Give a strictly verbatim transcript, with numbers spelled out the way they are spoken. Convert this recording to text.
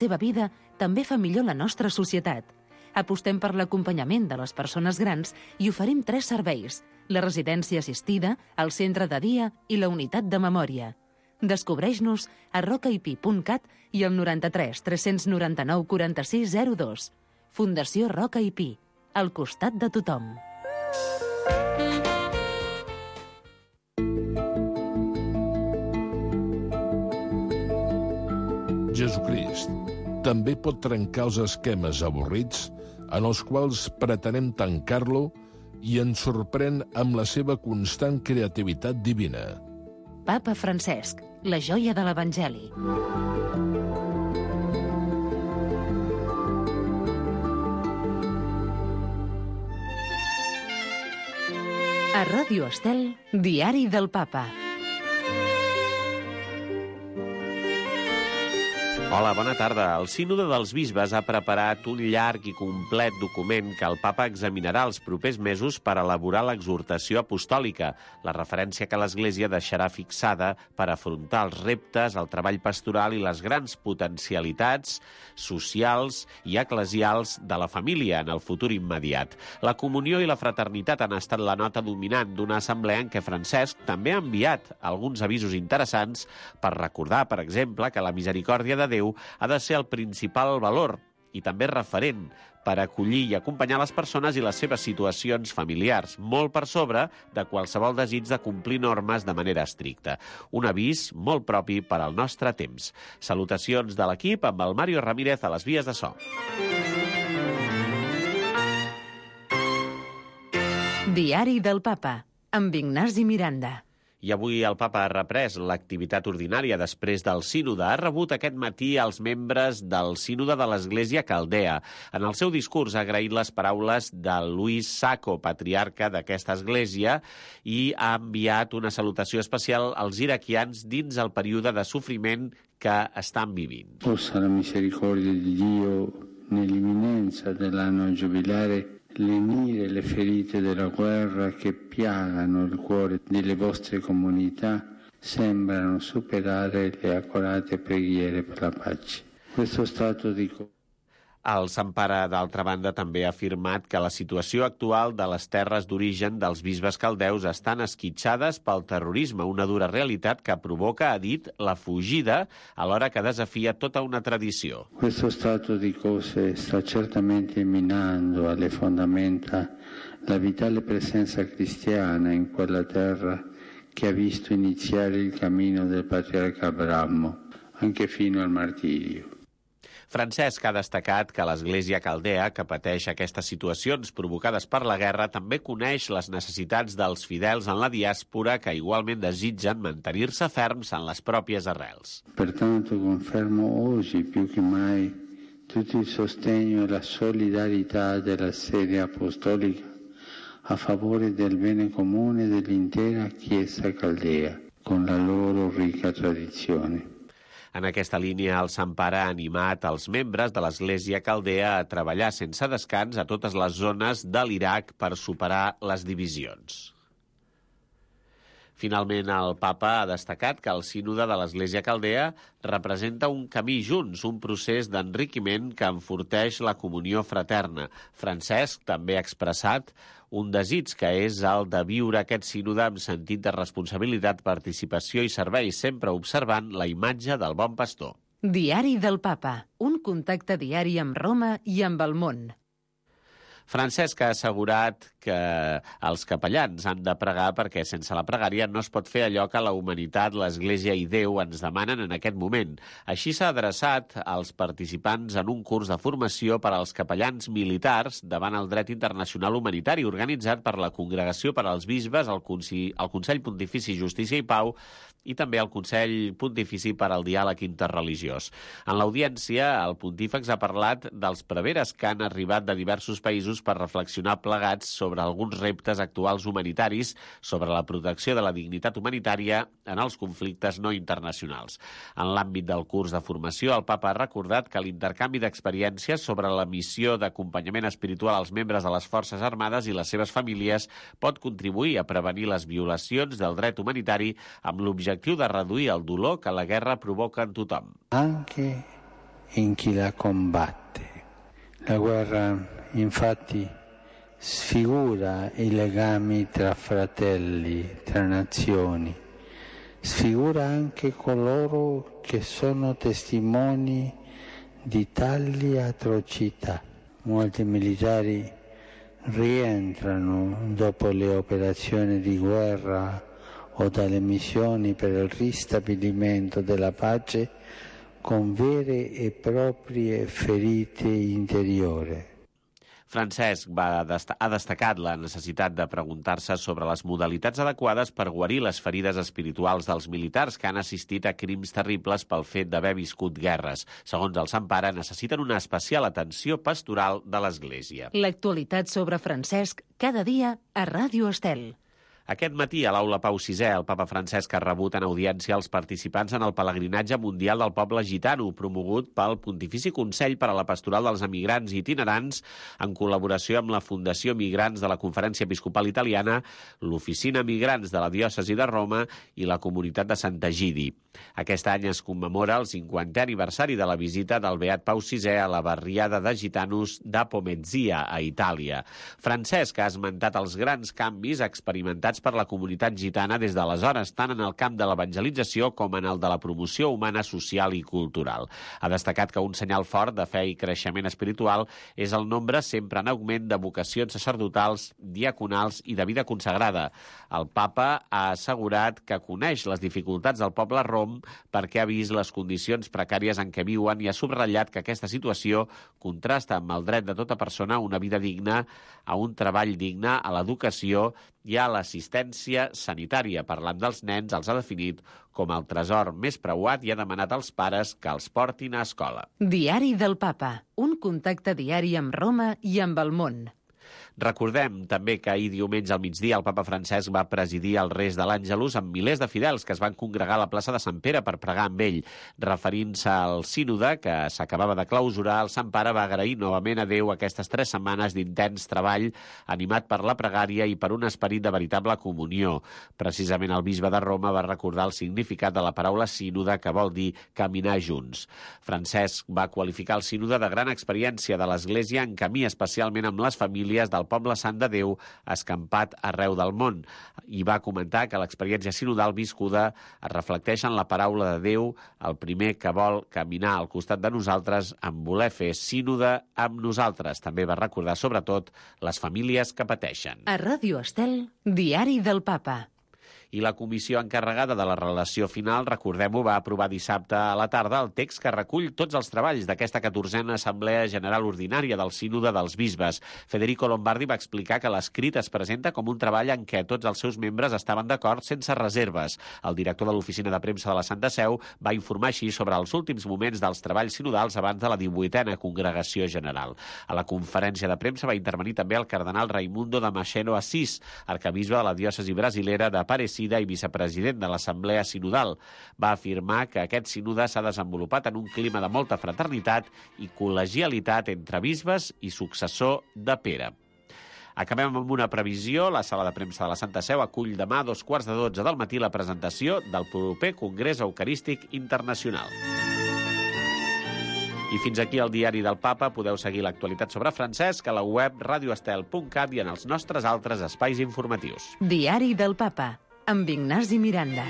seva vida també fa millor la nostra societat. Apostem per l'acompanyament de les persones grans i oferim tres serveis: la residència assistida, el centre de dia i la unitat de memòria. Descobreix-nos a rocaip punt cat i al noranta-tres tres noranta-nou quaranta-sis zero dos. Fundació Roca i Pi, al costat de tothom. Jesucrist també pot trencar els esquemes avorrits en els quals pretenem tancar-lo i ens sorprèn amb la seva constant creativitat divina. Papa Francesc, la joia de l'Evangeli. A Ràdio Estel, Diari del Papa. Hola, bona tarda. El Sínode dels Bisbes ha preparat un llarg i complet document que el Papa examinarà els propers mesos per elaborar l'exhortació apostòlica, la referència que l'Església deixarà fixada per afrontar els reptes, el treball pastoral i les grans potencialitats socials i eclesials de la família en el futur immediat. La comunió i la fraternitat han estat la nota dominant d'una assemblea en què Francesc també ha enviat alguns avisos interessants per recordar, per exemple, que la misericòrdia de Déu ha de ser el principal valor i també referent per acollir i acompanyar les persones i les seves situacions familiars, molt per sobre de qualsevol desig de complir normes de manera estricta. Un avís molt propi per al nostre temps. Salutacions de l'equip amb el Mario Ramírez a les vies de so. Diari del Papa, amb Ignasi Miranda. I avui el Papa ha reprès l'activitat ordinària després del Sínode. Ha rebut aquest matí els membres del Sínode de l'Església Caldea. En el seu discurs ha agraït les paraules de Luis Sacco, patriarca d'aquesta església, i ha enviat una salutació especial als iraquians dins el període de sofriment que estan vivint. Possa la misericòrdia di Dio nell'imminenza dell'anno giubilare lenire le ferite della guerra che piagano il cuore delle vostre comunità sembrano superare le accorate preghiere per la pace. Questo stato di El Sant Pare, d'altra banda, també ha afirmat que la situació actual de les terres d'origen dels bisbes caldeus estan esquitxades pel terrorisme, una dura realitat que provoca, ha dit, la fugida, alhora que desafia tota una tradició. Questo stato di cose sta certamente minando alle fondamenta la vitale presenza cristiana in quella terra che ha visto iniziare il cammino del patriarca Abramo, anche fino al martirio. Francesc ha destacat que l'Església Caldea, que pateix aquestes situacions provocades per la guerra, també coneix les necessitats dels fidels en la diàspora que igualment desitgen mantenir-se ferms en les pròpies arrels. Pertanto confermo oggi più che mai tutto il sostegno e la solidarietà della sede apostolica a favore del bene comune dell'intera Chiesa Caldea, con la loro ricca tradizione. En aquesta línia, el Sant Pare ha animat els membres de l'Església Caldea a treballar sense descans a totes les zones de l'Iraq per superar les divisions. Finalment, el Papa ha destacat que el Sínode de l'Església Caldea representa un camí junts, un procés d'enriquiment que enforteix la comunió fraterna. Francesc també ha expressat un desig que és el de viure aquest sínode amb sentit de responsabilitat, participació i servei, sempre observant la imatge del bon pastor. Diari del Papa, un contacte diari amb Roma i amb el món. Francesc ha assegurat que els capellans han de pregar perquè sense la pregària no es pot fer allò que la humanitat, l'Església i Déu ens demanen en aquest moment. Així s'ha adreçat als participants en un curs de formació per als capellans militars davant el dret internacional humanitari organitzat per la Congregació per als Bisbes, el Consell, el Consell Pontifici Justícia i Pau i també el Consell Pontifici per al Diàleg Interreligiós. En l'audiència, el pontífex ha parlat dels preveres que han arribat de diversos països per reflexionar plegats sobre alguns reptes actuals humanitaris, sobre la protecció de la dignitat humanitària en els conflictes no internacionals. En l'àmbit del curs de formació, el Papa ha recordat que l'intercanvi d'experiències sobre la missió d'acompanyament espiritual als membres de les Forces Armades i les seves famílies pot contribuir a prevenir les violacions del dret humanitari amb l'objectiu de reduir el dolor que la guerra provoca en tothom. Anche in chi la combatte. La guerra, infatti, sfigura i legami tra fratelli, tra nazioni, sfigura anche coloro che sono testimoni di tali atrocità. Molti militari rientrano dopo le operazioni di guerra o dalle missioni per il ristabilimento della pace con vere e proprie ferite interiori. Francesc va dest- ha destacat la necessitat de preguntar-se sobre les modalitats adequades per guarir les ferides espirituals dels militars que han assistit a crims terribles pel fet d'haver viscut guerres. Segons el Sant Pare, necessiten una especial atenció pastoral de l'Església. L'actualitat sobre Francesc cada dia a Ràdio Estel. Aquest matí, a l'Aula Pau sisè, el papa Francesc ha rebut en audiència els participants en el pelegrinatge mundial del poble gitano, promogut pel Pontifici Consell per a la Pastoral dels Emigrants i Itinerants, en col·laboració amb la Fundació Migrants de la Conferència Episcopal Italiana, l'Oficina Migrants de la Diòcesi de Roma i la Comunitat de Sant'Egidi. Aquest any es commemora el cinquantè aniversari de la visita del Beat Pau sisè a la barriada de gitanos d'Apomezia, a Itàlia. Francesc ha esmentat els grans canvis experimentats per la comunitat gitana des d'aleshores, tant en el camp de l'evangelització com en el de la promoció humana, social i cultural. Ha destacat que un senyal fort de fe i creixement espiritual és el nombre sempre en augment de vocacions sacerdotals, diaconals i de vida consagrada. El papa ha assegurat que coneix les dificultats del poble rom perquè ha vist les condicions precàries en què viuen i ha subratllat que aquesta situació contrasta amb el dret de tota persona a una vida digna, a un treball digne, a l'educació i a l'assistència sanitària. Parlant dels nens, els ha definit com el tresor més preuat i ha demanat als pares que els portin a escola. Diari del Papa, un contacte diari amb Roma i amb el món. Recordem també que ahir diumenge al migdia el papa Francesc va presidir el Res de l'Àngelus amb milers de fidels que es van congregar a la plaça de Sant Pere per pregar amb ell. Referint-se al sínode que s'acabava de clausurar, el Sant Pare va agrair novament a Déu aquestes tres setmanes d'intens treball animat per la pregària i per un esperit de veritable comunió. Precisament el bisbe de Roma va recordar el significat de la paraula sínode, que vol dir caminar junts. Francesc va qualificar el sínode de gran experiència de l'Església en camí especialment amb les famílies del poble sant de Déu escampat arreu del món, i va comentar que l'experiència sinodal viscuda es reflecteix en la paraula de Déu, el primer que vol caminar al costat de nosaltres en voler fer sínode amb nosaltres. També va recordar sobretot les famílies que pateixen. A Ràdio Estel, Diari del Papa. I la comissió encarregada de la relació final, recordem-ho, va aprovar dissabte a la tarda el text que recull tots els treballs d'aquesta catorzena Assemblea General Ordinària del Sínode dels Bisbes. Federico Lombardi va explicar que l'escrit es presenta com un treball en què tots els seus membres estaven d'acord sense reserves. El director de l'Oficina de Premsa de la Santa Seu va informar així sobre els últims moments dels treballs sinodals abans de la divuitena Congregació General. A la conferència de premsa va intervenir també el cardenal Raimundo Damasceno Assis, arcabisbe de la diòcesi brasilera de Aparecida i vicepresident de l'Assemblea Sinodal. Va afirmar que aquest sínode s'ha desenvolupat en un clima de molta fraternitat i col·legialitat entre bisbes i successor de Pere. Acabem amb una previsió. La sala de premsa de la Santa Seu acull demà a dos quarts de dotze del matí la presentació del proper Congrés Eucarístic Internacional. I fins aquí el Diari del Papa. Podeu seguir l'actualitat sobre Francesc a la web radioestel punt cat i en els nostres altres espais informatius. Diari del Papa, amb Ignasi Miranda.